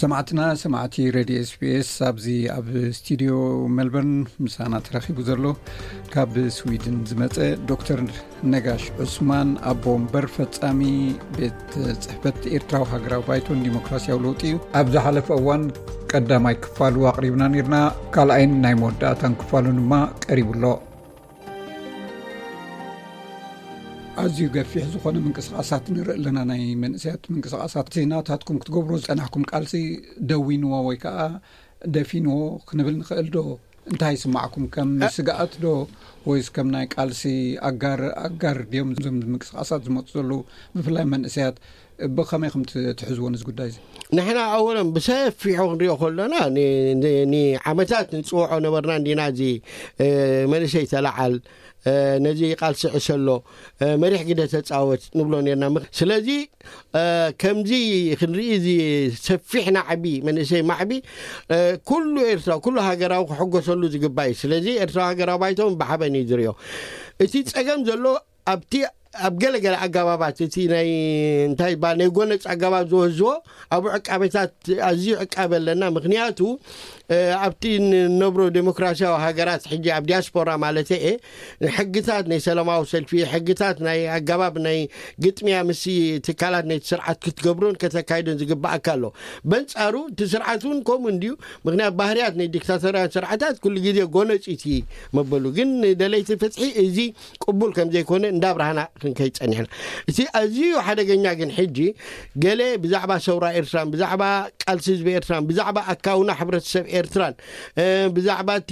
ሰማዕትና ሰማዕቲ ሬድዮ ኤስቢኤስ፣ ኣብዚ ኣብ ስቱዲዮ ሜልበርን ምሳና ተረኺቡ ዘሎ ካብ ስዊድን ዝመጸ ዶክተር ነጋሽ ዑስማን፣ ኣቦ ወንበር ፈጻሚ ቤት ጽሕፈት ኤርትራዊ ሃገራዊ ባይቶን ዲሞክራሲያዊ ለውጢ እዩ። ኣብ ዝሓለፈ እዋን ቀዳማይ ክፋሉ ኣቕሪብና ነርና። ካልኣይን ናይ መወዳእታን ክፋሉ ድማ ቀሪቡ ኣሎ። ኣዝዩ ገፊሕ ዝኾነ ምንቅስቓሳት ንርኢ ኣለና። ናይ መንእሰያት ምንቅስቓሳት፣ ናታትኩም ክትገብሩ ዝጸናሕኩም ቃልሲ ደዊንዎ ወይ ከዓ ደፊንዎ ክንብል ንኽእል ዶ? እንታይ ይስማዕኩም? ከም ስግኣት ዶ ወይስ ከም ናይ ቃልሲ ኣጋር፣ ኣጋር ድዮም እዞም ምንቅስቓሳት ዝመፁ ዘለዉ፣ ብፍላይ መንእሰያት? ብኸመይ ከም ትሕዝዎ ነዚ ጉዳይ እዚ? ንሕና ኣወለን ብሰፊሑ ክንሪኦ ከሎና፣ ን-፣ ን-፣ ንዓመታት ንፅውዖ ነበርና እንዲና፣ እዚ መንእሰይ ተለዓል፣ ነዚ ቃልሲ ዕሰሎ፣ መሪሕ ግደ ተፃወት ንብሎ ነርና። ስለዚ ከምዚ ክንርኢ፣ እዚ ሰፊሕ ናዕቢ፣ መንእሰይ ማዕቢ፣ ኩሉ ኤርትራ፣ ኩሉ ሃገራዊ ክሕጎሰሉ ዝግባእ እዩ። ስለዚ ኤርትራዊ ሃገራዊ ባይቶ ብሓበን እዩ ዝሪኦ። እቲ ፀገም ዘሎ ኣብቲ፣ ኣብ ገለገለ ኣገባባት፣ እቲ ናይ እንታይ ይበሃል፣ ናይ ጎነፅ ኣገባብ ዝወዝዎ ኣብኡ ዕቃበታት፣ ኣዝዩ ዕቃበ ኣለና። ምክንያቱ ኣብቲ ንነብሮ ዴሞክራሲያዊ ሃገራት፣ ሕጂ ኣብ ዲያስፖራ ማለት እየ፣ ሕግታት ናይ ሰላማዊ ሰልፊ፣ ሕግታት ናይ ኣገባብ ናይ ግጥምያ ምስ ትካላት ናይቲ ስርዓት ክትገብሮን ከተካይዶን ዝግባኣካ ኣሎ። በንጻሩ እቲ ስርዓት እውን ከምኡ እንድዩ። ምክንያት ባህርያት ናይ ዲክታቶርያን ስርዓታት ኩሉ ግዜ ጎነፂቲ መበሉ። ግን ንደለይቲ ፍትሒ እዚ ቅቡል ከም ዘይኮነ እንዳብራህና ክንከይድ ጸኒሕና። እቲ ኣዝዩ ሓደገኛ ግን ሕጂ ገለ ብዛዕባ ሰውራ ኤርትራን ብዛዕባ ቃልሲ ህዝቢ ኤርትራን ብዛዕባ ኣካውና ሕብረተሰብ ኤርትራን ብዛዕባ እቲ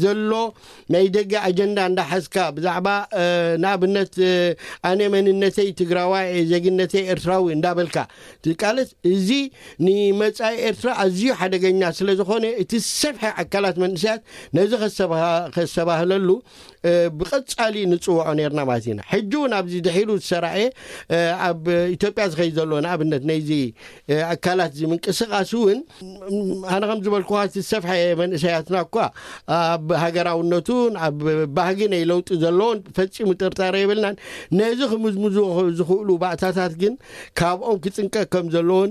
ዘሎ ናይ ደገ ኣጀንዳ እንዳሓዝካ፣ ብዛዕባ ንኣብነት ኣነ መንነተይ ትግራዋይ፣ ዜግነተይ ኤርትራዊ እንዳበልካ ትቃለስ፣ እዚ ንመጻኢ ኤርትራ ኣዝዩ ሓደገኛ ስለ ዝኾነ፣ እቲ ዝሰፍሐ ኣካላት መንእሰያት ነዚ ከሰባህለሉ ብቐጻሊ ንጽውዖ ነርና ማለት ኢና። ሕጂ እውን ኣብዚ ድሒሩ ዝሰራኤ ኣብ ኢትዮጵያ ዝኸይድ ዘሎ ንኣብነት ናይዚ ኣካላት እዚ ምንቅስቃስ እውን፣ ኣነ ከም ዝበልኩኻ፣ እቲ ዝሰፍሐ መንእሰያትና እኳ ኣብ ሃገራውነቱን ኣብ ባህጊ ናይ ለውጢ ዘለዎን ፈጺሙ ጥርጣረ የብልናን። ነዚ ክምዝምዙ ዝኽእሉ ባእታታት ግን ካብኦም ክጽንቀቅ ከም ዘለዎን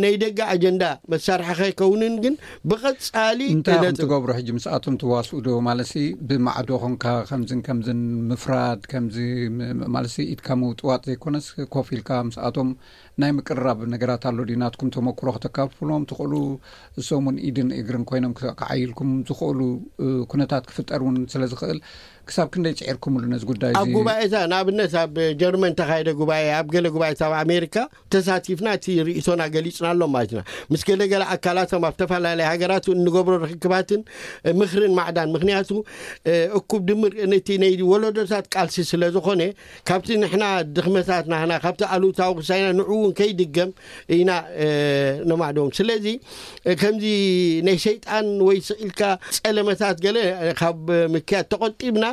ናይ ደገ ኣጀንዳ መሳርሒ ከይከውንን ግን ብቐጻሊ እንታይ ኢኹም ትገብሩ? ሕጂ ምስኣቶም ትዋስኡ ዶ? ማለትሲ ብማዕዶ ኾንካ ከምዝን ከምዝን ምፍራድ፣ ከምዚ ማለትሲ ኢድካ ምውጥዋጥ ዘይኮነስ፣ ኮፍ ኢልካ ምስኣቶም ናይ ምቅርራብ ነገራት ኣሎ ድዩ? ናትኩም ተመክሮ ከተካፍሎም ትኽእሉ፣ እሶምን ኢድን እግርን ኮይኖም ክዓይልኩም ዝኽእሉ ኩነታት ክፍጠር እውን ስለ ዝኽእል፣ ክሳብ ክንደይ ጽዒርኩምሉ ነዚ ጉዳይ ኣብ እዚ? ጉባኤታት፣ ንኣብነት ኣብ ጀርመን ተኻየደ ጉባኤ፣ ኣብ ገለ ጉባኤታት ኣብ ኣሜሪካ ተሳቲፍና፣ እቲ ርእይቶና ገሊጽና ኣሎም ማለት ኢና። ምስ ገለ ገለ ኣካላቶም ኣብ ተፈላለየ ሃገራት እንገብሮ ርክክባትን ምኽርን ማዕዳን፣ ምክንያቱ እኩብ ድምር ነቲ ናይ ወለዶታት ቃልሲ ስለ ዝኾነ፣ ካብቲ ንሕና ድኽመታት ናህና፣ ካብቲ ኣሉታዊ ክሳይና ንዕኡ እውን ከይድገም ኢና ነማዕዶም። ስለዚ ከምዚ ናይ ሰይጣን ወይ ስቕ ኢልካ ጸለመታት ገለ ካብ ምክያድ ተቖጢብና፣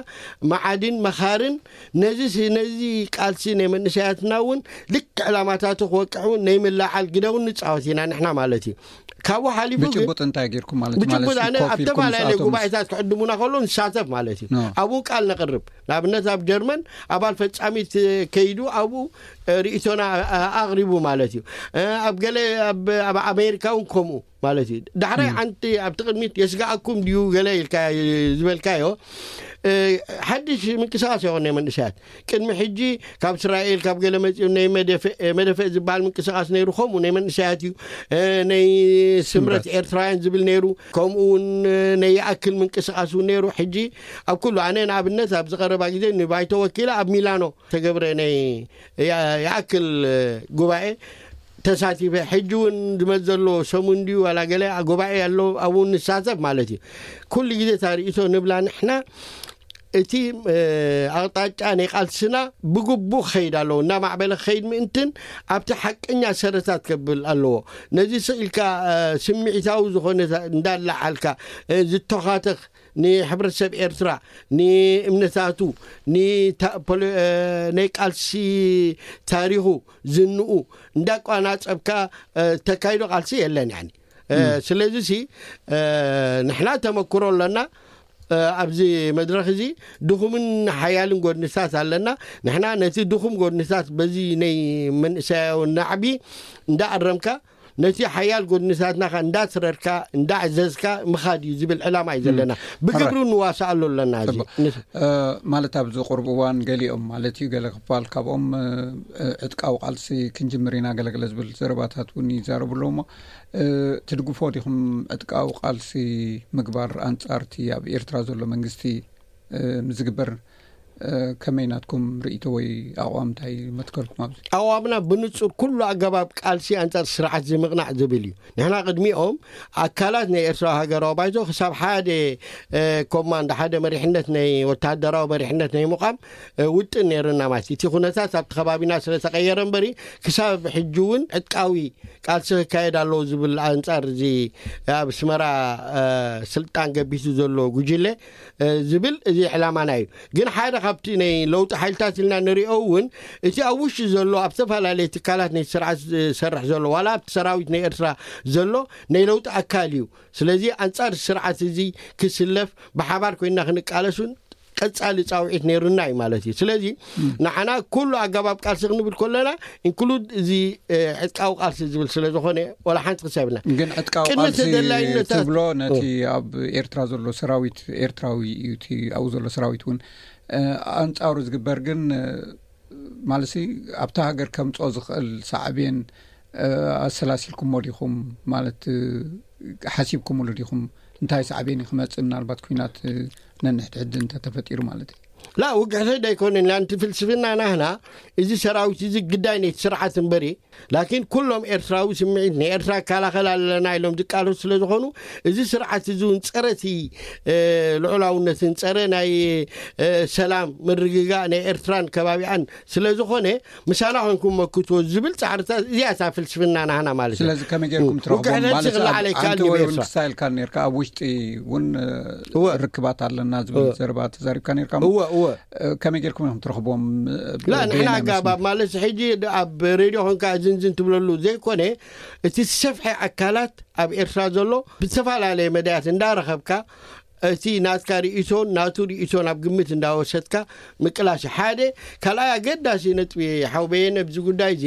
መዓድን መኻርን ነዚ ስ-፣ ነዚ ቃልሲ ናይ መንእሰያትና እውን ልክዕ ዕላማታቱ ክወቅዕ እውን ናይ ምልዓል ግደ እውን ንጻወት ኢና ንሕና ማለት እዩ። ካብኡ ሓሊፉ ግን ብጭቡጥ እንታይ ጌርኩም ማለት እዩ? ብጭቡጥ ማለት ኣነ ኮፍ ኣብ ኢልኩም ተፈላለየ ምስኣቶም ጉባኤታት ክዕድሙና ከሎ ንሳተፍ ማለት እዩ። ኖ። ኣብኡ ቃል ነቕርብ። ንኣብነት ኣብ ጀርመን ኣባል ፈጻሚት ከይዱ ኣብኡ ርእይቶና ኣቕሪቡ ማለት እዩ። ኣብ ገለ ኣብ፣ ኣብ ኣሜሪካ እውን ከምኡ ማለት እዩ። ዳሕራይ ሓንቲ ኣብቲ ቅድሚት የስጋኣኩም ድዩ ገለ ኢልካ ዝበልካዮ፣ ሓድሽ ምንቅስቃስ ይኾን ናይ መንእሰያት። ቅድሚ ሕጂ ካብ እስራኤል ካብ ገለ መጺኡ ናይ መደፍእ፣ መደፍእ ዝበሃል ምንቅስቃስ ነይሩ፣ ከምኡ ናይ መንእሰያት እዩ። ናይ ስምረት ስምረት። ኤርትራውያን ዝብል ነይሩ፣ ከምኡ እውን ናይ ይኣክል ምንቅስቃስ እውን ነይሩ። ሕጂ ኣብ ኩሉ፣ ኣነ ንኣብነት ኣብዚ ቀረባ ግዜ ንባይቶ ወኪለ ኣብ ሚላኖ ተገብረ ናይ ያ-፣ ይኣክል ጉባኤ ተሳቲፈ። ሕጂ እውን ዝመጽእ ዘሎ ሰሙን ድዩ ዋላ ገለ ጉባኤ ኣሎ፣ ኣብኡ ንሳተፍ ማለት እዩ። ኩሉ ግዜ እታ ርእይቶ ንብላ ንሕና፣ እቲ ኣቕጣጫ ናይ ቃልስና ብግቡእ ክኸይድ ኣለዎ፣ እናማዕበለ ክኸይድ ምእንትን ኣብቲ ሓቀኛ ሰረታት ከብል ኣለዎ። ነዚ ስቕ ኢልካ ስምዒታዊ ዝኾነ እንዳላዓልካ ዝተኻተኽ ንሕብረተሰብ ኤርትራ፣ ንእምነታቱ፣ ንታ-፣ ፖለ-፣ እ፣ ናይ ቃልሲ ታሪኹ፣ ዝንኡ እንዳቋናጸብካ፣ እ፣ ተካይዶ ቃልሲ የለን፣ ያኒ። እ፣ እም። ስለዚ ሲ፣ እ፣ ንሕና ተመክሮ ኣለና። እ፣ ኣብዚ መድረኽ እዚ ድኹምን ሓያልን ጎድንታት ኣለና። ንሕና ነቲ ድኹም ጎድንታት በዚ ናይ መንእሰያዊ ናዕቢ እንዳኣረምካ፣ ነቲ ሓያል ጎድንታትና ከ እንዳስረርካ እንዳዕዘዝካ ምኻድ እዩ ዝብል ዕላማ እዩ ዘለና። ብግብሪ ንዋሳኣሉ ኣለና። እዚ ማለት ኣብዚ ቁርብ እዋን ገሊኦም ማለት እዩ፣ ገለ ክፋል ካብኦም ዕጥቃዊ ቃልሲ ክንጅምር ኢና ገለገለ ዝብል ዘረባታት እውን ይዛረቡ ኣለዉ። እሞ ትድግፎ ዲኹም ዕጥቃዊ ቃልሲ ምግባር ኣንጻርቲ ኣብ ኤርትራ ዘሎ መንግስቲ ምዝግበር? ከመይ ናትኩም ርእይቶ ወይ ኣቕዋም እንታይ መትከልኩም ኣብዚ? ኣቕዋምና ብንጹር ኩሉ ኣገባብ ቃልሲ ኣንጻር ስርዓት ዝምቕናዕ ዝብል እዩ። ንሕና ቅድሚኦም ኣካላት ናይ ኤርትራዊ ሃገራዊ ባይቶ ክሳብ ሓደ ኮማንድ፣ ሓደ መሪሕነት ናይ ወተሃደራዊ መሪሕነት ናይ ምቋም ውጥን ነይርና ማለት እዩ። እቲ ኩነታት ኣብቲ ከባቢና ስለ ተቐየረ እምበሪ ክሳብ ሕጂ እውን ዕጥቃዊ ቃልሲ ክካየድ ኣለዎ ዝብል ኣንጻር እዚ ኣብ ኣስመራ ስልጣን ገቢቱ ዘሎ ጉጅለ ዝብል እዚ ዕላማና እዩ። ግን ሓደ ካብቲ ናይ ለውጢ ሓይልታት ኢልና ንሪኦ እውን እቲ ኣብ ውሽጢ ዘሎ ኣብ ዝተፈላለዩ ትካላት ናይ ስርዓት ዝሰርሕ ዘሎ ዋላ ኣብቲ ሰራዊት ናይ ኤርትራ ዘሎ ናይ ለውጢ ኣካል እዩ። ስለዚ ኣንጻር ስርዓት እዚ ክስለፍ ብሓባር ኮይና ክንቃለሱን ቀጻሊ ጻውዒት ነይሩና እዩ ማለት እዩ። ስለዚ ንዓና ኩሉ ኣገባብ ቃልሲ ክንብል ከለና ኢንክሉድ እዚ ዕጥቃዊ ቃልሲ ዝብል ስለ ዝኾነ ዋላ ሓንቲ ክሳብና ግን ዕጥቃዊ ቃልሲ ትብሎ ነቲ ኣብ ኤርትራ ዘሎ ሰራዊት ኤርትራዊ እዩ። እቲ ኣብኡ ዘሎ ሰራዊት እውን ኣንጻሩ ዝግበር ግን ማለት ኣብታ ሃገር ከምጾ ዝኽእል ሳዕቤን ኣሰላሲልኩሞ ዲኹም? ማለት ሓሲብኩምሉ ዲኹም? እንታይ ሳዕቤን እዩ ክመጽእ ምናልባት ኩናት ነንሕድሕድ እንተተፈጢሩ ማለት እዩ? ላ ውግሕተይ ዳይኮነን ላንቲ ፍልስፍና ናህና እዚ ሰራዊት እዚ ግዳይ ነቲ ስርዓት እምበሪ ላኪን ኩሎም ኤርትራዊ ስምዒት ናይ ኤርትራ ይከላኸል ኣለና ኢሎም ዝቃለሱ ስለ ዝኾኑ እዚ ስርዓት እዚ እውን ጸረ እቲ ልዑላውነትን ጸረ ናይ ሰላም ምርግጋእ ናይ ኤርትራን ከባቢኣን ስለ ዝኾነ ምሳና ኮንኩም መክትዎ ዝብል ጻዕርታት እዚኣ እታ ፍልስፍና ናህና ማለት እዩ። ስለዚ ከመይ ጌርኩም ትረኽቦም ውግዕነት ማለት ዝኽእል ኣብ ዓለይ ካልእ ኣንተ ወይ እውን ኤርትራ ክሳይልካ ኔርካ ኣብ ውሽጢ እውን እወ። ርክባት ኣለና ዝብል እወ። ዘረባ ተዛሪብካ ኔርካ እሞ እወ እወ። ከመይ ጌርኩም ኢኹም ትረኽቦም? ላ ንሕና በየናይ ኣጋባብ መስመር? ማለት ሕጂ ድ- ኣብ ሬድዮ ኮንካ ዝንዝን ትብለሉ ዘይኮነ እቲ ዝሰፍሐ ኣካላት ኣብ ኤርትራ ዘሎ ብዝተፈላለየ መዳያት እንዳረኸብካ እቲ ናትካ ርእይቶን ናቱ ርእይቶን ኣብ ግምት እንዳወሰድካ ምቅላስ ሓደ ካልኣይ ኣገዳሲ ነጥቢ ሓውበየን ኣብዚ ጉዳይ እዚ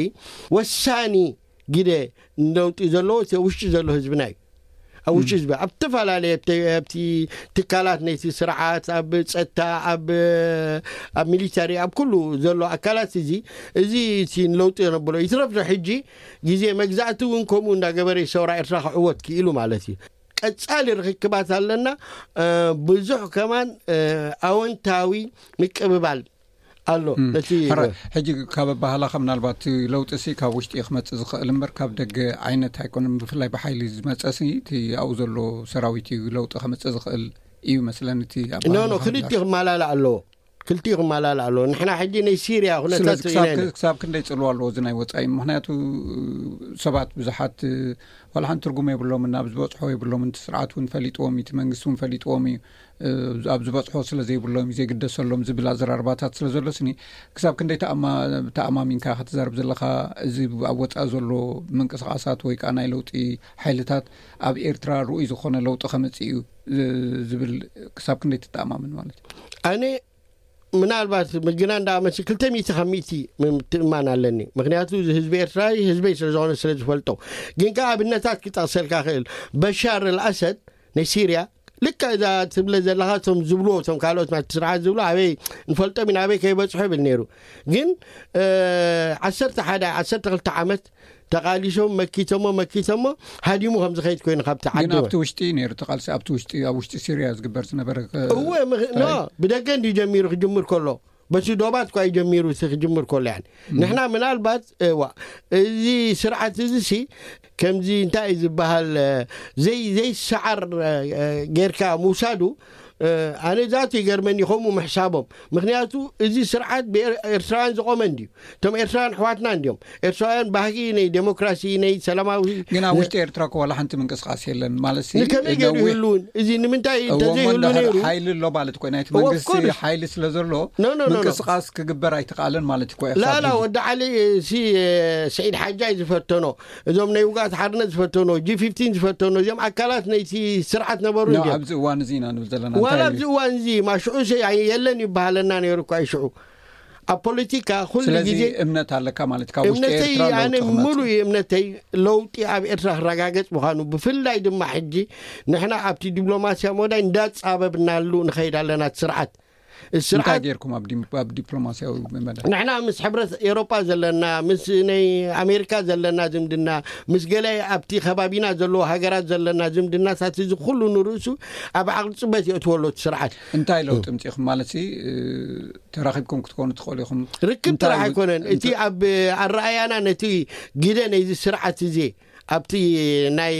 ወሳኒ ግደ ነውጢ ዘለዎ እቲ ውሽጢ ዘሎ ህዝብና እዩ። ኣብ ውሽጢ ህዝቢ ኣብ ዝተፈላለየ ኣብቲ ትካላት ነይቲ ስርዓት ኣብ ፀጥታ ኣብ ኣብ ሚሊተሪ ኣብ ኩሉ ዘሎ ኣካላት እዚ እዚ እቲ ለውጢ የነብሎ ይትረፍ ዶ ሕጂ ግዜ መግዛእቲ እውን ከምኡ እንዳገበረ ሰውራ ኤርትራ ክዕወት ክኢሉ ማለት እዩ። ቀጻሊ ርክክባት ኣለና። ብዙሕ ከማን ኣወንታዊ ምቅብባል ኣሎ። ነቲ ሕጂ ካብ ኣባህላኻ ምናልባት ለውጢ ሲ ካብ ውሽጢ ክመፅእ ዝኽእል እምበር ካብ ደገ ዓይነት ኣይኮነን። ብፍላይ ብሓይሊ ዝመፀ ሲ እቲ ኣብኡ ዘሎ ሰራዊት እዩ ለውጢ ከምፅእ ዝኽእል እዩ መስለኒ። እቲ ኖ ኖ ኣባህላኻ ክልቲኡ ክመላላእ ኣለዎ። ክልቲኡ ክመላላእ ኣለዎ። ንሕና ሕጂ ናይ ሲርያ ኩነታት ስለዚ ርኢና ክሳብ ኢና። ክሳብ ክንደይ ፅልዋ ኣለዎ እዚ ናይ ወፃኢ? ምክንያቱ ሰባት ብዙሓት ዋላ ሓንቲ ትርጉም የብሎምን። ናብ ዝበፅሖ የብሎምን። እቲ ስርዓት እውን ፈሊጥዎም እዩ፣ እቲ መንግስቲ እውን ፈሊጥዎም እዩ። ኣብ ዝበፅሖ ስለ ዘይብሎም እዩ ዘይግደሰሎም ዝብል ኣዘራርባታት ስለ ዘሎ ስኒ ክሳብ ክንደይ ተኣማ- ተኣማሚንካ ክትዛረብ ዘለኻ? እዚ ኣብ ወፃኢ ዘሎ ምንቅስቃሳት ወይ ከዓ ናይ ለውጢ ሓይልታት ኣብ ኤርትራ ርኡይ ዝኾነ ለውጢ ከምፅእ እዩ ዝብል ክሳብ ክንደይ ትተኣማምን ማለት እዩ? ኣነ ምናልባት ምግና እንዳመሲ ክልተ ሚእቲ ካብ ሚእቲ ምትእማን ኣለኒ። ምክንያቱ እዚ ህዝቢ ኤርትራ ህዝበይ ስለ ዝኾነ ስለ ዝፈልጦ። ግን ከኣ ኣብነታት ክጠቕሰልካ ክእል በሻር ኣልኣሰድ ናይ ሲርያ ልክዕ እዛ ትብለ ዘለኻ እቶም ዝብልዎ እቶም ካልኦት ናቲ ስርዓት ዝብሉ ኣበይ ንፈልጦም ኢና ኣበይ ከይበፅሑ ይብል ነይሩ። ግን ዓሰርተ ሓደ ዓሰርተ ክልተ ዓመት ተቓሊሶም መኪቶሞ መኪቶሞ ሃዲሙ ከም ዝኸይድ ኮይኑ ካብቲ ግን ዓዲ ኣብቲ ውሽጢ እዩ ነይሩ እቲ ቃልሲ ኣብቲ ውሽጢ ኣብ ውሽጢ ሲርያ ዝግበር ዝነበረ ከ- እወ ምኽ- ኖ ብደገ እንዲ ጀሚሩ ክጅምር ከሎ በቲ ዶባት እኳ እዩ ጀሚሩ እቲ ክጅምር ከሎ ያን ንሕና ምናልባት እዋ እዚ ስርዓት እዚ ሲ ከምዚ እንታይ እዩ ዝበሃል ዘይ ዘይሰዓር ጌርካ ምውሳዱ ኣነ ዛቱ ይገርመኒ ከምኡ ምሕሳቦም ምክንያቱ እዚ ስርዓት ብኤርትራውያን ዝቆመ እንድዩ እቶም ኤርትራውያን ኣሕዋትና እንድዮም ኤርትራውያን ባህጊ ናይ ዴሞክራሲ ናይ ሰላማዊ ግን ኣብ ውሽጢ ኤርትራ እኮ ዋላ ሓንቲ ምንቅስቃስ የለን ማለት ንከመይ ገይሩ ይህልውን እዚ ንምንታይ እንተዘይህሉ ነይሩ ሓይሊ ኣሎ ማለት እኮ ናይቲ መንግስቲ ሓይሊ ስለ ዘሎ ምንቅስቃስ ክግበር ኣይተቃለን ማለት እኮ ላላ ወዲ ዓሊ ሲ ስዒድ ሓጃይ ዝፈተኖ እዞም ናይ ውጋት ሓርነት ዝፈተኖ ጂ ፊፍቲን ዝፈተኖ እዚኦም ኣካላት ናይቲ ስርዓት ነበሩ እንድዮም ኣብዚ እዋን እዚ ኢና ንብል ዘለና ዋላ ኣብዚ እዋን እዚ ማሽዑ የለን ይበሃለና ነይሩ እኳ ይሽዑ ኣብ ፖለቲካ ኩሉ ስለዚ ግዜ እምነት ኣለካ ማለት ካብ ውሽጢ እምነተይ ኤርትራ ኣነ ለውጢ ክመጽእ። ሙሉእ እምነተይ ለውጢ ኣብ ኤርትራ ክረጋገጽ ምዃኑ፣ ብፍላይ ድማ ሕጂ ንሕና ኣብቲ ዲፕሎማስያ መዳይ እንዳጻበብናሉ ንኸይድ ኣለና። እቲ ስርዓት እቲ እንታይ ስርዓት ጌርኩም ኣብ ዲም- ኣብ ዲፕሎማስያዊ መዳይ? ንሕና ምስ ሕብረት ኤሮጳ ዘለና፣ ምስ ናይ ኣሜሪካ ዘለና ዝምድና፣ ምስ ገለ ኣብቲ ከባቢና ዘለዎ ሃገራት ዘለና ዝምድናታት፣ እዚ ኩሉ ንርእሱ ኣብ ዓቕሊ ጽበት የእትወሎ እቲ ስርዓት። እንታይ ለውጢ ምጽኢኹም ማለት ሲ ተራኺብኩም ክትኮኑ ትኽእሉ ኢኹም? ርክብ እንታይ ጥራሕ ው- ኣይኮነን። እቲ እንተ- ኣብ ኣረኣያና ነቲ ግደ ናይዚ ስርዓት እዚ ኣብቲ ናይ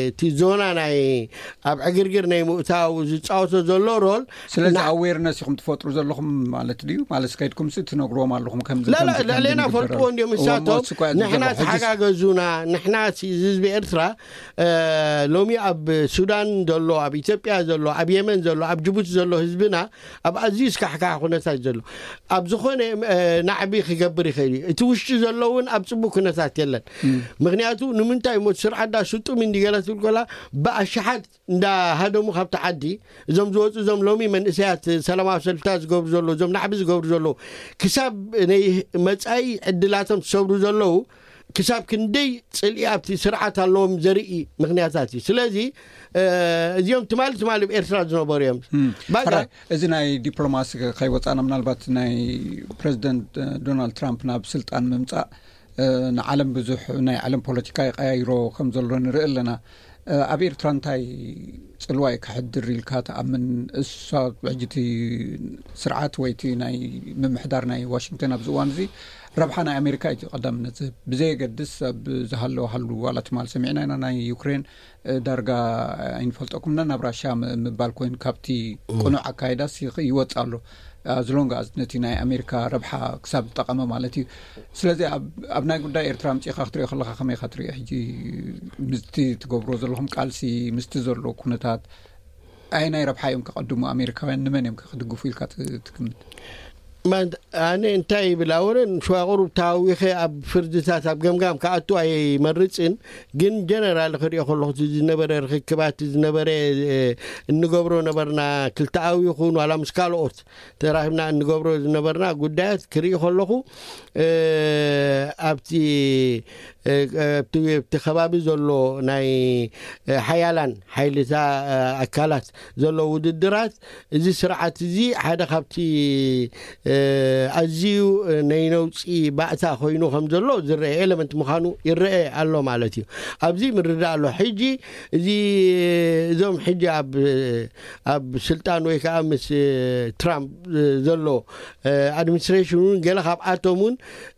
እቲ ዞና ናይ ኣብ ዕግርግር ናይ ምእታው ዝፃወቶ ዘሎ ሮል ስለዚ ና- ኣዌርነስ ኢኹም ትፈጥሩ ዘለኹም ማለት ድዩ? ማለት ከይድኩም ሲ ትነግርዎም ኣለኹም ከምዚ ላላ ከምዚ ከምዚ ልዕሌና ንግበር ፈልጥዎ እንዲዮም እሞ ንሳቶም እሱ እኮ እዩ ዝገርም። ንሕና ሕጂስ ተሓጋገዙና። ንሕና ሲ ህዝቢ ኤርትራ እ፣ ሎሚ ኣብ ሱዳን ዘሎ፣ ኣብ ኢትዮጵያ ዘሎ፣ ኣብ የመን ዘሎ፣ ኣብ ጅቡቲ ዘሎ ህዝብና ኣብ ኣዝዩ ስካሕካሕ ኩነታት ዘሎ፣ ኣብ ዝኾነ እ፣ ናዕቢ ክገብር ይኽእል እዩ። እቲ ውሽጢ ዘሎ እውን ኣብ ጽቡቅ ኩነታት የለን። ምክንያቱ ንምንታይ እሞ ስርዓት ዳ ስጡም እንዲገለ ትብል ኮላ ብኣሽሓት እንዳሃደሙ ካብቲ ዓዲ እዞም ዝወፁ፣ እዞም ሎሚ መንእሰያት ሰላማዊ ሰልፍታት ዝገብሩ ዘለዉ፣ እዞም ናዕቢ ዝገብሩ ዘለዉ፣ ክሳብ ናይ መጻኢ ዕድላቶም ዝሰብሩ ዘለዉ፣ ክሳብ ክንደይ ጽልኢ ኣብቲ ስርዓት ኣለዎም ዘርኢ ምክንያታት እዩ። ስለዚ እ፣ እዚኦም ትማሊ ትማሊ ኣብ ኤርትራ ዝነበሩ እዮም። እም፣ ባጋ ሕራይ፣ እዚ ናይ ዲፕሎማሲ ከይወፃና ምናልባት ናይ ፕሬዚደንት እ፣ ዶናልድ ትራምፕ ናብ ስልጣን ምምፃእ እ፣ ንዓለም ብዙሕ ናይ ዓለም ፖለቲካ ይቀያይሮ ከም ዘሎ ንርኢ ኣለና። እ፣ ኣብ ኤርትራ እንታይ ፅልዋ እዩ ከሕድር ኢልካ ትኣምን? እሳ ሕጂ እቲ ስርዓት ወይ እቲ ናይ ምምሕዳር ናይ ዋሽንግተን ኣብዚ እዋን እዚ ረብሓ ናይ ኣሜሪካ እዩ ቀዳምነት ዝህብ። ብዘየገድስ ኣብ ዝሃለወ ሃሉ ዋላ ትማል ሰሚዕና ኢና ናይ ዩክሬን እ፣ ዳርጋ ኣይንፈልጠኩምና ናብ ራሽያ ም- ምባል ኮይኑ ካብቲ ቅኑዕ ኣካይዳስ ይኽ- ይወፅ ኣሎ። ኣዝሎንግ ኣዝ ነቲ ናይ ኣሜሪካ ረብሓ ክሳብ ዝጠቐመ ማለት እዩ። ስለዚ ኣብ ኣብ ናይ ጉዳይ ኤርትራ ምፅኢኻ ክትሪኦ ከለካ ከመይ ኢኻ ትሪኦ? ሕጂ ምስቲ ትገብሮ ዘለኹም ቃልሲ ምስቲ ዘሎ ኩነታት ኣይ ናይ ረብሓ እዮም ከቐድሙ ኣሜሪካውያን? ንመን እዮም ከ ክድግፉ ኢልካ ት- ትግምት? ማን- ኣነ እንታይ ይብል ኣወለን ሸዋቕሩብ ታዊኸ ኣብ ፍርድታት ኣብ ገምጋም ክኣቱ ኣይመርፅን። ግን ጀነራል ክሪኦ ከለኹ እቲ ዝነበረ ርክክባት፣ ዝነበረ እ፣ እንገብሮ ነበርና ክልተኣዊ ይኹን ዋላ ምስ ካልኦት ተራኺብና እንገብሮ ዝነበርና ጉዳያት ክርኢ ከለኹ እ፣ ኣብቲ እ፣ ኣብቲ ኣብቲ ከባቢ ዘሎ ናይ እ፣ ሓያላን ሓይልታ እ፣ ኣካላት ዘሎ ውድድራት፣ እዚ ስርዓት እዚ ሓደ ካብቲ እ፣ ኣዝዩ እ፣ ናይ ነውፂ ባእታ ኮይኑ ከም ዘሎ ዝረአ ኤለመንት ምዃኑ ይረአ ኣሎ ማለት እዩ። ኣብዚ ምርዳእ ኣሎ። ሕጂ እዚ እዞም ሕጂ ኣብ ኣብ ስልጣን ወይ ከዓ ምስ እ፣ ትራምፕ እ፣ ዘሎ እ፣ ኣድሚኒስትሬሽን እውን ገለ ካብኣቶም እውን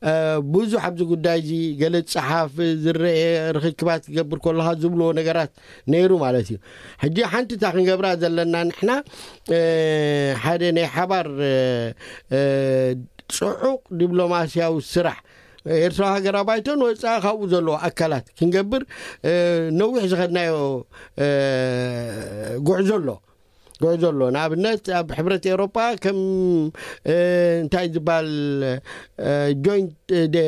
እ፣ ብዙሕ ኣብዚ ጉዳይ እዚ ገለ ዝፀሓፍ ዝረአ ርክክባት ክገብር ከለካ ዝብልዎ ነገራት ነይሩ ማለት እዩ። ሕጂ ሓንቲ እታ ክንገብራ ዘለና ንሕና እ፣ ሓደ ናይ ሓባር እ፣ እ፣ ፅዑቕ ዲፕሎማስያዊ ስራሕ ኤርትራ ሃገራዊ ባይቶን ወፃኢ ካብኡ ዘለዎ ኣካላት ክንገብር እ፣ ነዊሕ ዝኸድናዮ እ፣ ጉዕዞ ኣሎ። ጉዕዞ ኣሎ። ንኣብነት ኣብ ሕብረት ኤውሮጳ ከም እ፣ እንታይ ዝበሃል እ፣ ጆይንት እ፣ ደ-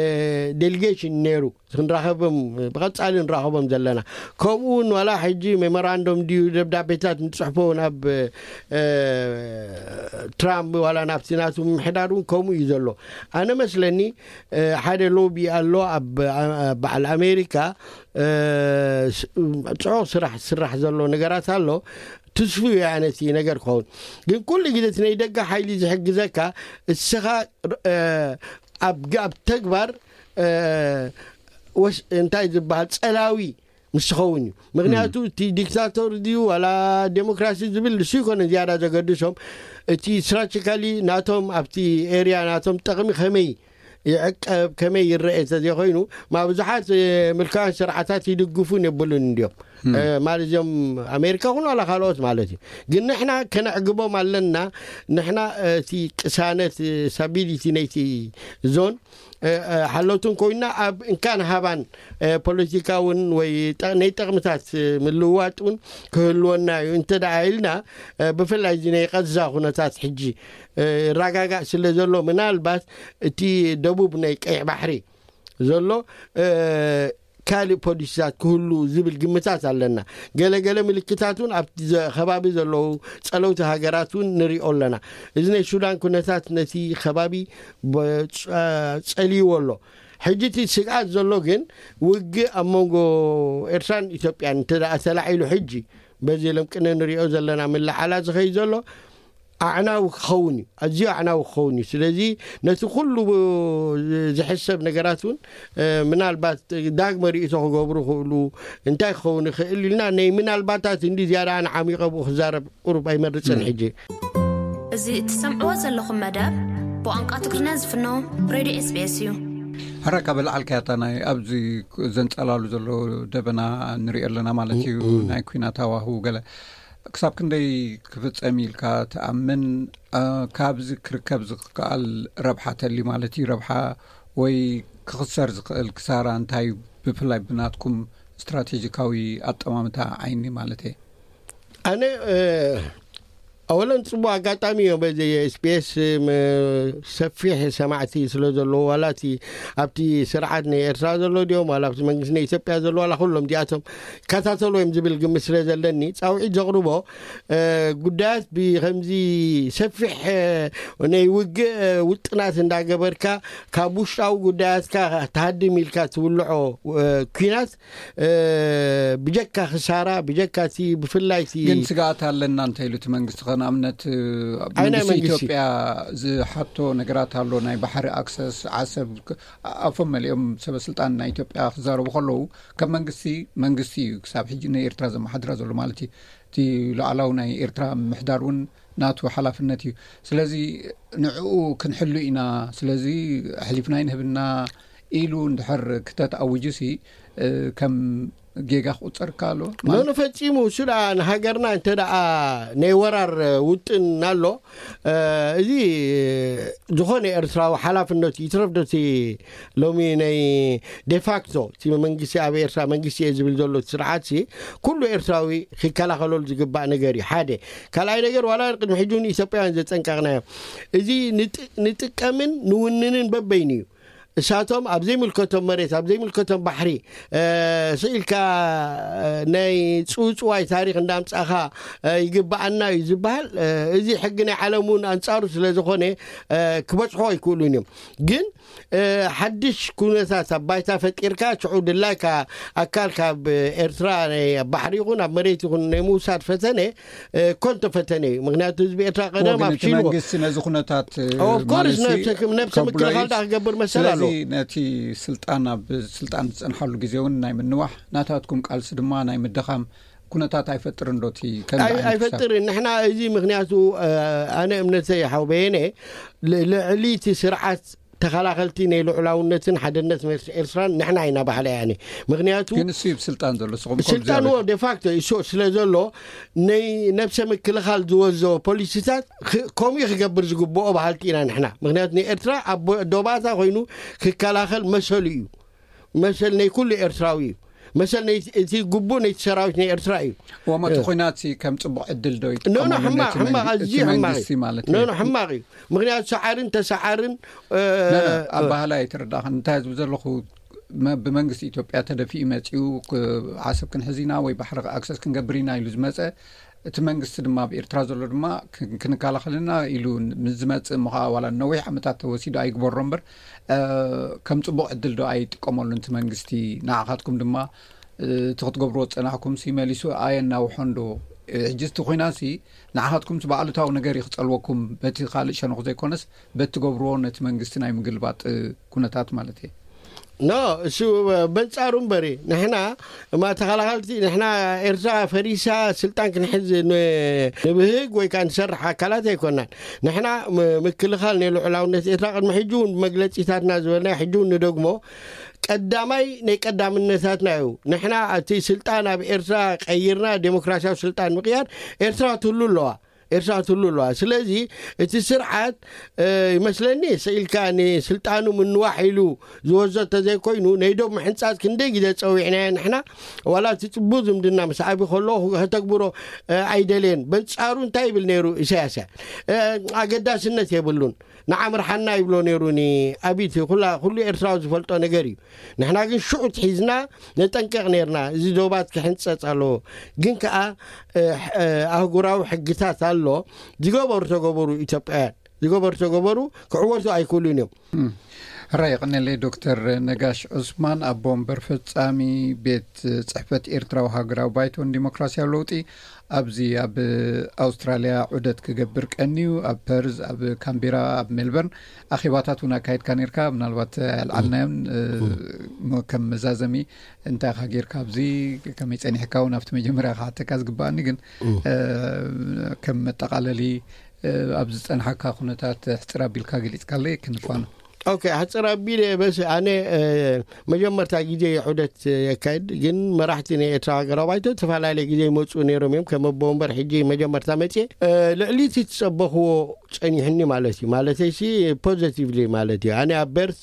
ዴሊጌሽን ነይሩ። ክንራኸቦም ብቐጻሊ ንራኸቦም ዘለና። ከምኡ እውን ዋላ ሕጂ ሜሞራንዶም ድዩ ደብዳቤታት ንጽሕፎ ናብ እ፣ ትራምፕ ዋላ ናብቲ ናቱ ምምሕዳር እውን ከምኡ እዩ ዘሎ። ኣነ መስለኒ እ፣ ሓደ ሎቢ ኣሎ ኣብ ኣ- በዓል ኣሜሪካ እ፣ ስ- ጽዑቕ ስራሕ ዝስራሕ ዘሎ ነገራት ኣሎ። ትስፉ እዩ ኣነ እቲ ነገር ክኸውን። ግን ኩሉ ግዜ እቲ ናይ ደገ ሓይሊ ዝሕግዘካ እስኻ እ፣ ኣብ ግ- ኣብ ተግባር እ፣ ወስ- እንታይ ዝበሃል ጸላዊ ምስ ትኸውን እዩ። ምክንያቱ እቲ ዲክታቶር ድዩ ዋላ ዴሞክራሲ ዝብል ንሱ ይኮነ ዝያዳ ዘገድሶም፣ እቲ ስትራቴጂካሊ ናቶም ኣብቲ ኤርያ ናቶም ጠቕሚ ከመይ ይዕቀብ ከመይ ይረአ እንተዘይኮይኑ፣ ማ ብዙሓት እ፣ ምልካውያን ስርዓታት ይድግፉን የብሉን እንዲዮም። እ፣ ማለት እዚኦም ኣሜሪካ ኩን ዋላ ካልኦት ማለት እዩ። ግን ንሕና ከነዕግቦም ኣለና። ንሕና እ፣ እቲ ቅሳነት እ፣ ስታቢሊቲ ነይቲ ዞን እ፣ እ፣ ሓለውትን ኮይና ኣብ እንካን ሃባን እ፣ ፖለቲካውን ወይ ጠ- ናይ ጠቕምታት እ፣ ምልውዋጥ እውን ክህልወና እዩ እንተ ደኣ ኢልና እ፣ ብፍላይ እዚ ናይ ቀዛ ኩነታት ሕጂ እ፣ ይረጋጋእ ስለ ዘሎ ምናልባት እቲ ደቡብ ናይ ቀይሕ ባሕሪ ዘሎ እ፣ ካልእ ፖሊሲታት ክህሉ ዝብል ግምታት ኣለና። ገለገለ ምልክታት እውን ኣብቲ ዘ- ከባቢ ዘለዉ ጸለውቲ ሃገራት እውን ንሪኦ ኣለና። እዚ ናይ ሱዳን ኩነታት ነቲ ከባቢ በ- ጸ- ጸልይዎ ኣሎ። ሕጂ እቲ ስግኣት ዘሎ ግን ውግእ ኣብ መንጎ ኤርትራን ኢትዮጵያን እንተ ደኣ ተላዒሉ ሕጂ በዚ ለምቅነ ንሪኦ ዘለና ምልዓላ ዝኸይ ዘሎ ኣዕናዊ ክኸውን እዩ፣ ኣዝዩ ኣዕናዊ ክኸውን እዩ። ስለዚ ነቲ ኩሉ ዝሕሰብ ነገራት እውን ምናልባት ዳግመ ርእይቶ ክገብሩ ክእሉ እንታይ ክኸውን ይኽእል ኢልና ናይ ምናልባታት እንዲ ዝያዳ ኣነ ዓሚቐ ብኡ ክዛረብ ቁሩብ ኣይመርፅን ሕጂ። እዚ እትሰምዕዎ ዘለኹም መደብ ብቋንቋ ትግርኛ ዝፍኖ ሬድዮ ኤስቢኤስ እዩ። ሕራይ ካብ ልዓልካያ እታ ናይ ኣብዚ ዘንጸላሉ ዘሎ ደበና ንሪኦ ኣለና ማለት እዩ። ናይ ኩናት ሃዋህው ገለ ክሳብ ክንደይ ክፍጸም ኢልካ ትኣምን? ካብዚ ክርከብ ዝከኣል ረብሓ ተሊ ማለት እዩ። ረብሓ ወይ ክኽሰር ዝኽእል ክሳራ እንታይ እዩ? ብፍላይ ብናትኩም ስትራቴጂካዊ ኣጠማምታ ዓይኒ ማለት እየ። ኣነ ኣወለን ጽቡቅ ኣጋጣሚ እዮም። በዚ ኤስቢኤስ ሰፊሕ ሰማዕቲ ስለ ዘለዎ ዋላ እቲ ኣብቲ ስርዓት ናይ ኤርትራ ዘሎ ድዮም ዋላ ኣብቲ መንግስቲ ናይ ኢትዮጵያ ዘሎ ዋላ ኩሎም እዚኣቶም ይከታተሉ እዮም ዝብል ግምት ስለ ዘለኒ ጻውዒት ዘቕርቦ ጉዳያት ብከምዚ ሰፊሕ ናይ ውግእ ውጥናት እንዳገበርካ ካብ ውሽጣዊ ጉዳያትካ ተሃድም ኢልካ ትውልዖ ኩናት ብጀካ ክሳራ ብጀካ እቲ ብፍላይ እቲ ግን ስጋኣት ኣለና እንተ ኢሉ እቲ መንግስቲ ከ ንኣብነት መንግስቲ ኢትዮጵያ ዝሓቶ ነገራት ኣሎ ናይ ባሕሪ ኣክሰስ ዓሰብ ኣፎም መሊኦም ሰበ ስልጣን ናይ ኢትዮጵያ ክዛረቡ ከለዉ ከም መንግስቲ መንግስቲ እዩ ክሳብ ሕጂ ንኤርትራ ዘመሓድራ ዘሎ ማለት እዩ እቲ ሉዓላዊ ናይ ኤርትራ ምሕዳር እውን ናቱ ሓላፍነት እዩ ስለዚ ንዕኡ ክንሕሉ ኢና ስለዚ ኣሕሊፍና ይንህብና ኢሉ እንድሕር ክተት ኣውጁ ሲ ከም ጌጋ ክቁፀር ኣሎ ኖ ፈፂሙ እሱ ደኣ ንሃገርና እንተ ደኣ ናይ ወራር ውጥን ኣሎ እዚ ዝኾነ ኤርትራዊ ሓላፍነቱ ይትረፍ ዶቲ ሎሚ ናይ ዴፋክቶ እቲ መንግስቲ ኣብ ኤርትራ መንግስቲ እየ ዝብል ዘሎ ስርዓት ሲ ኩሉ ኤርትራዊ ክከላኸለሉ ዝግባእ ነገር እዩ ሓደ ካልኣይ ነገር ዋላ ቅድሚ ሕጂ እውን ኢትዮጵያውያን ዘጠንቀቕናዮ እዚ ንጥቀምን ንውንንን በበይኑ እዩ እሳቶም ኣብ ዘይምልከቶም መሬት ኣብ ዘይምልከቶም ባሕሪ ስኢልካ ናይ ፅውፅዋይ ታሪክ እንዳምፃእካ ይግበኣና እዩ ዝበሃል እዚ ሕጊ ናይ ዓለም እውን ኣንፃሩ ስለ ዝኾነ ክበፅሖ ኣይክእሉን እዮም ግን ሓድሽ ኩነታት ኣብ ባይታ ፈጢርካ ሽዑ ድላይካ ኣካል ካብ ኤርትራ ናይ ባሕሪ ይኹን ኣብ መሬት ይኹን ናይ ምውሳድ ፈተነ ኮንቶ ፈተነ እዩ ምክንያቱ ህዝቢ ኤርትራ ቀደም ኣብ ሽልዎ መንግስቲ ነዚ ኩነታት ኦፍኮርስ ነብሰ ምክልኻል ዳ ክገብር መሰል ኣሎ ነቲ ስልጣን ኣብ ስልጣን ዝፀንሓሉ ግዜ እውን ናይ ምንዋሕ ናታትኩም ቃልሲ ድማ ናይ ምድኻም ኩነታት ኣይፈጥርን ዶቲ ኣይፈጥርን ንሕና እዚ ምክንያቱ ኣነ እምነተይ ሓውበየነ ልዕሊ እቲ ስርዓት ተኸላኸልቲ ናይ ልዑላውነትን ሓድነት ኤርትራን ንሕና ኢና ባህላ ያኒ ምክንያቱ ግን እሱ ስልጣን ዘሎ ስልጣንዎ ዴፋክቶ ይሶ ስለ ዘሎ ናይ ነብሰ ምክልኻል ዝወዘ ፖሊሲታት ከምኡ ክገብር ዝግብኦ ባህልቲ ኢና ንሕና ምክንያቱ ንኤርትራ ኣብ ዶባታ ኮይኑ ክከላኸል መሰሉ እዩ መሰል ናይ ኩሉ ኤርትራዊ እዩ መሰል እቲ ግቡእ ነይቲ ሰራዊት ናይ ኤርትራ እዩ ወማ እቲ ኩናት ከም ፅቡቅ ዕድል ዶ ይጥቀመሉ ነቲ መንግስቲ ማለት እዩ ሕማቅ እዩ ምክንያቱ ሰዓርን ተሰዓርን ኣብ ባህላ ኣይትረዳእኽን እንታይ ዝብ ዘለኹ ብመንግስቲ ኢትዮጵያ ተደፊኡ መፂኡ ዓሰብ ክንሕዝ ኢና ወይ ባሕሪ ኣክሰስ ክንገብር ኢና ኢሉ ዝመፀ እቲ መንግስቲ ድማ ኣብ ኤርትራ ዘሎ ድማ ክንከላኸልና ኢሉ ምስ ዝመፅእ ምኸዓ ዋላ ነዊሕ ዓመታት ተወሲዱ ኣይግበሮ እምበር ከም ፅቡቅ ዕድል ዶ ኣይጥቀመሉ እቲ መንግስቲ ንዓኻትኩም ድማ እቲ ክትገብርዎ ዝፀናሕኩም ሲ መሊሱ ኣየናውሖን ዶ ሕጂ እቲ ኮይና ሲ ንዓኻትኩም ብኣሉታዊ ነገር ይክፀልወኩም በቲ ካልእ ሸነኹ ዘይኮነስ በቲ ትገብርዎ ነቲ መንግስቲ ናይ ምግልባጥ ኩነታት ማለት እየ ኖ እሱ በንጻሩ እምበሪ ንሕና እማ ተኸላኸልቲ ንሕና ኤርትራ ፈሪሳ ስልጣን ክንሕዝ ንብህግ ወይ ከዓ ንሰርሕ ኣካላት ኣይኮናን ንሕና ምክልኻል ናይ ልዑላውነት ኤርትራ ቅድሚ ሕጂ እውን መግለፂታትና ዝበልና ሕጂ እውን ንደግሞ ቀዳማይ ናይ ቀዳምነታትና እዩ ንሕና እቲ ስልጣን ኣብ ኤርትራ ቀይርና ዴሞክራሲያዊ ስልጣን ምቅያር ኤርትራ ትህሉ ኣለዋ ኤርትራ ትህሉ ኣለዋ ስለዚ እቲ ስርዓት ይመስለኒ ስኢልካ ንስልጣኑ ምንዋሕ ኢሉ ዝወዘ ተዘይኮይኑ ናይ ዶብ ምሕንፃፅ ክንደይ ግዜ ፀዊዕናዮ ንሕና ዋላ እቲ ፅቡቅ ዝምድና ምስ ዓቢ ከሎ ከተግብሮ ኣይደልየን በንፃሩ እንታይ ይብል ነይሩ ኢሳያስ ኣገዳስነት የብሉን ንዓምርሓና ይብሎ ነይሩ። ኒ ኣብይቲ ኩላ ኩሉ ኤርትራዊ ዝፈልጦ ነገር እዩ። ንሕና ግን ሽዑ ትሒዝና ነጠንቀቕ ነርና፣ እዚ ዶባት ክሕንጸጽ ኣለዎ። ግን ከኣ ኣህጉራዊ ሕግታት ኣሎ። ዝገበሩ ተገበሩ፣ ኢትዮጵያውያን ዝገበሩ ተገበሩ፣ ክዕወቱ ኣይክእሉን እዮም። ራይ ቀነለይ ዶክተር ነጋሽ ዑስማን፣ ኣቦ ወንበር ፈጻሚ ቤት ጽሕፈት ኤርትራዊ ሃገራዊ ባይቶን ዲሞክራሲያዊ ለውጢ፣ ኣብዚ ኣብ ኣውስትራልያ ዑደት ክገብር ቀንዩ ኣብ ፐርዝ፣ ኣብ ካምቤራ፣ ኣብ ሜልበርን ኣኼባታት እውን ኣካይድካ ነርካ። ምናልባት ኣልዓልናዮን ከም መዛዘሚ እንታይ ኢኻ ጌርካ ኣብዚ፣ ከመይ ጸኒሕካ እውን ኣብቲ መጀመርያ ክሓተካ ዝግባኣኒ፣ ግን ከም መጠቓለሊ ኣብ ዝጸንሓካ ኩነታት ሕጽር ኣቢልካ ገሊጽካለይ ክንፋኖ። ኦኬ፣ ሕጽር ኣቢለ በስ ኣነ መጀመርታ ግዜ ዑደት የካይድ፣ ግን መራሕቲ ናይ ኤርትራ ሃገራዊ ባይቶ ዝተፈላለየ ግዜ ይመጹ ነይሮም እዮም። ከም ኣቦ ወንበር ሕጂ መጀመርታ መጽየ፣ ልዕሊ እቲ ትጸበኽዎ ጸኒሕኒ ማለት እዩ። ማለተይሲ ፖዘቲቭሊ ማለት እዩ። ኣነ ኣብ በርት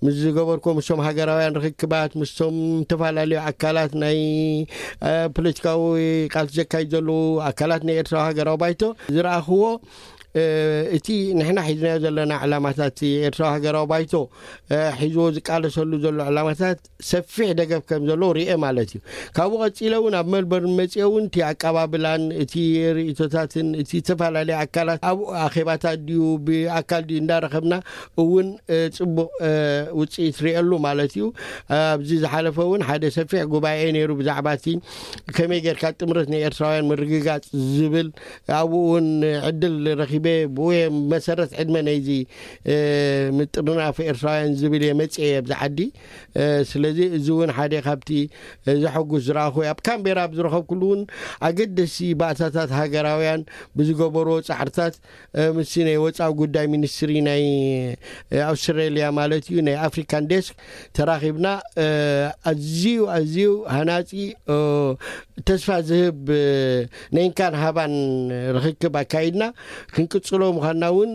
ምስ ዝገበርኮ ምስቶም ሃገራውያን ርክክባት፣ ምስቶም ዝተፈላለዩ ኣካላት ናይ ፖለቲካዊ ቃልሲ ዘካይድ ዘለዉ ኣካላት ናይ ኤርትራዊ ሃገራዊ ባይቶ ዝረኣኽዎ፣ እቲ ንሕና ሒዝናዮ ዘለና ዕላማታት፣ ኤርትራዊ ሃገራዊ ባይቶ ሒዝዎ ዝቃለሰሉ ዘሎ ዕላማታት ሰፊሕ ደገፍ ከም ዘለዎ ርኤ ማለት እዩ። ካብኡ ቀጺለ እውን ኣብ ሜልበርን መጺኤ እውን እቲ ኣቀባብላን እቲ ርእይቶታትን እቲ ዝተፈላለዩ ኣካላት ኣብ ኣኼባታት ድዩ ብኣካል ድዩ እንዳረኸብና እውን ጽቡቕ ውጽኢት ርእየሉ ማለት እዩ። ኣብዚ ዝሓለፈ እውን ሓደ ሰፊሕ ጉባኤ ነይሩ ብዛዕባ እቲ ከመይ ጌርካ ጥምረት ናይ ኤርትራውያን ምርግጋጽ ዝብል፣ ኣብኡ እውን ዕድል ረኺበ። ብኡ እየ መሰረት ዕድመ ናይዚ ምጥርናፍ ኤርትራውያን ዝብል እየ መጽኤ ኣብዚ ዓዲ። ስለዚ እዚ እውን ሓደ ካብቲ ዘሐጉስ ዝረኣኹ እየ። ኣብ ካምቤራ ኣብ ዝረኸብኩሉ እውን ኣገደሲ ባእታታት ሃገራውያን ብዝገበርዎ ጻዕርታት፣ ምስ ናይ ወጻኢ ጉዳይ ሚኒስትሪ ናይ ኣውስትራልያ ማለት እዩ፣ ናይ ኣፍሪካን ዴስክ ተራኺብና፣ ኣዝዩ ኣዝዩ ሃናጺ፣ ተስፋ ዝህብ ነይንካን ሃባን ርክክብ ኣካይድና። ክንቅጽሎ ምዃንና እውን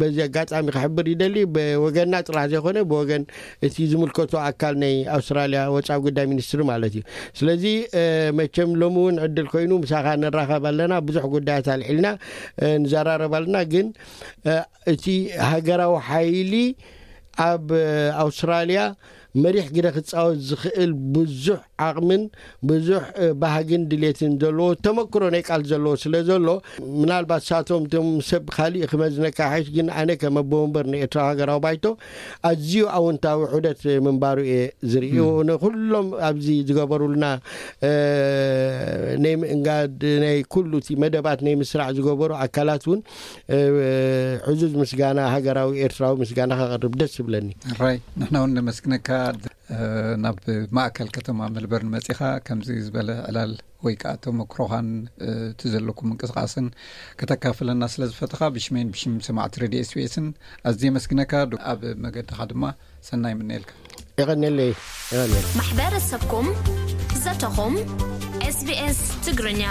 በዚ ኣጋጣሚ ክሕብር ይደሊ። ብወገንና ጥራሕ ዘይኮነ ብወገን እቲ ዝምልከቶ ኣካል ናይ ኣውስትራልያ ወጻኢ ጉዳይ ሚኒስትሪ ማለት እዩ። ስለዚ መቸም ሎሚ እውን ዕድል ኮይኑ ምሳኻ ንራኸብ ኣለና፣ ብዙሕ ጉዳያት ኣልዒልና ንዘራረብ ኣለና። ግን እቲ ሃገራዊ ሓይሊ ኣብ ኣውስትራልያ መሪሕ ግደ ክጻወት ዝኽእል ብዙሕ ዓቕምን ብዙሕ ባህግን ድሌትን ዘለዎ፣ ተመክሮ ናይ ቃልሲ ዘለዎ ስለ ዘሎ፣ ምናልባት ሳቶም እቶም ሰብ ካሊእ ክመዝነካ ይሓይሽ፣ ግን ኣነ ከም ኣቦ ወንበር ንኤርትራ ሃገራዊ ባይቶ ኣዝዩ ኣወንታዊ ዑደት ምንባሩ እየ ዝርኢ። ንኩሎም ኣብዚ ዝገበሩልና ናይ ምእንጋድ ናይ ኩሉ እቲ መደባት ናይ ምስራዕ ዝገበሩ ኣካላት እውን ዕዙዝ ምስጋና፣ ሃገራዊ ኤርትራዊ ምስጋና ከቕርብ ደስ ዝብለኒ። ራይ፣ ንሕና እውን ነመስግነካ። ናብ ማእከል ከተማ ሜልበርን መጺኻ ከምዚ ዝበለ ዕላል ወይ ከዓ ተመክሮኻን እቲ ዘለኩም ምንቅስቃስን ከተካፍለና ስለ ዝፈተኻ ብሽመይን ብሽም ሰማዕቲ ሬድዮ ኤስቢኤስን ኣዝየ የመስግነካ። ኣብ መገድኻ ድማ ሰናይ ምነየልካ። የቐንየለይ። ማሕበረሰብኩም ዘተኹም ኤስቢኤስ ትግርኛ።